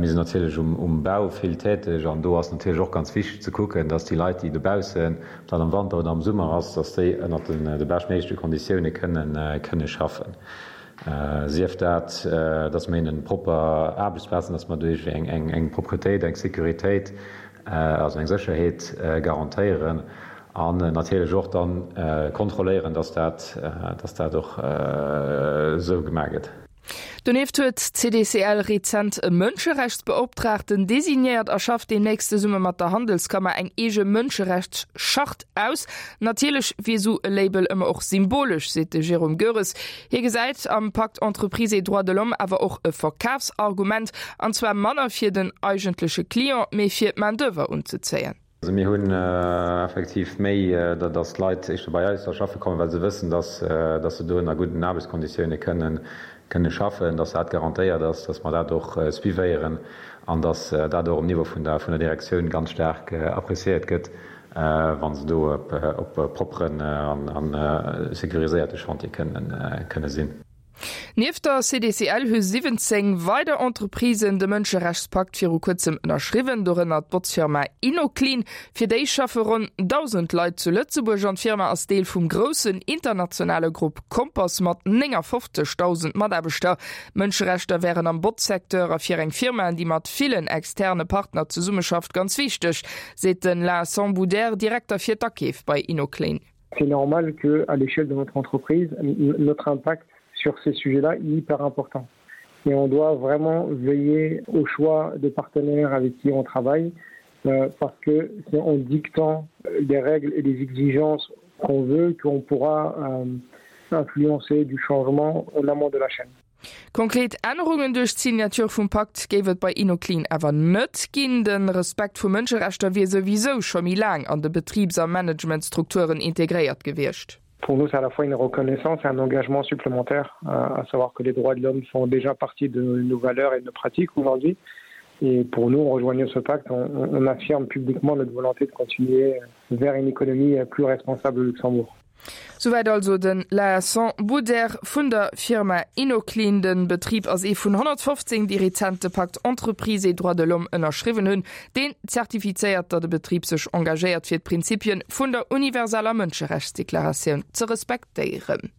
Mir sinn natierlech um Bau vill täteg an do ass natierlech och ganz wichteg ze kucken, dass déi Leit, déi dobaussen, ob dat am Wanter oder am Summer ass, dass déi ënnert de beschtméigleche Konditioune kënne schaffen. Sief dat, dass mer hinnen propper Aarbechtsplazen, dass mer do iergendwéi eng Propretéit, eng Sécuritéit, also eng Sécherheet garantéieren an natierlech och dann kontrolléieren, dass dat, dass dat och esou gemaach gëtt. Donieft huet d'CDCL rezent e Mënscherechtsbeoptraagten designéiert a schafft deemnächst zesumme mat der Handelskammer eng eege Mënscherechtschart aus. Natierlech wier esou e Label ëmmer och symbolesch, seet de Jérôme Goeres. Hie gesäit am Pacte Entreprises et droits de l'homme awer och e Verkafsargument, an zwar manner fir den eigentleche Client, mee fir d'Main-d'oeuvre unzezéien. Also mir hunn effektiv méi, datt d'Leit éischter bei eis da schaffe kommen, well se wëssen, datt se do ënner gudden Aarbechtskonditioune kënne schaffen, datt dat garantéiert ass, datt mer dat och suivéieren an datt dat och um Niveau vun der Direktioun ganz staark appréciéiert gëtt, wa se do op propperen a sécuriséierte Chantier kënne sinn. Nieft der CDCL hu 17 weider Entreprisen de Mënscherechtspakt viru kuerzem ënnerschriwwen, dorënner d'Botzfirma Innoclean. Fir déi schaffe ronn 1.000 Leit zu Lëtzebuerg an d'Firma ass Deel vum groussen internationale Grupp Compass mat 59.000 Mataarbechter. Mënscherechter wären am Botzsecteur a fir eng Firma, déi mat villen externe Partner zesummeschafft, ganz wichteg, seet den Vincent Bouder, Direkter fir d'Akeef bei Innoclean. C'est normal que à l'échelle de notre entreprise, notre impact sur ces sujets-là est hyper important. Et on doit vraiment veiller au choix de partenaires avec qui on travaille euh, parce que c'est en dictant les règles et les exigences qu'on veut qu'on pourra euh, influencer du changement en amont de la chaîne. Konkret Ännerungen duerch d'Signature vum Pakt géif et bei Innoclean awer net ginn. De Respekt vu Mënscherechter wier souwisou scho méi laang an de Betribs a Managementstrukturen integréiert gewiescht. Pour nous, c'est à la fois une reconnaissance et un engagement supplémentaire, à savoir que les droits de l'homme font déjà partie de nos valeurs et de nos pratiques aujourd'hui. Et pour nous, en rejoignant ce pacte, on, on affirme publiquement notre volonté de continuer vers une économie plus responsable au Luxembourg. Souwäit also den Laesson Bouder vun der Firma Innoclean. Den Betrib ass ee vun 115, déi rezent de Pacte Entreprises et droits de l'homme ënnerschriwwen hunn, deen zertifizéiert, datt e Betrib sech engagéiert fir d'Prinzipien vun der universeller Mënscherechtsdeklaratioun ze respektéieren.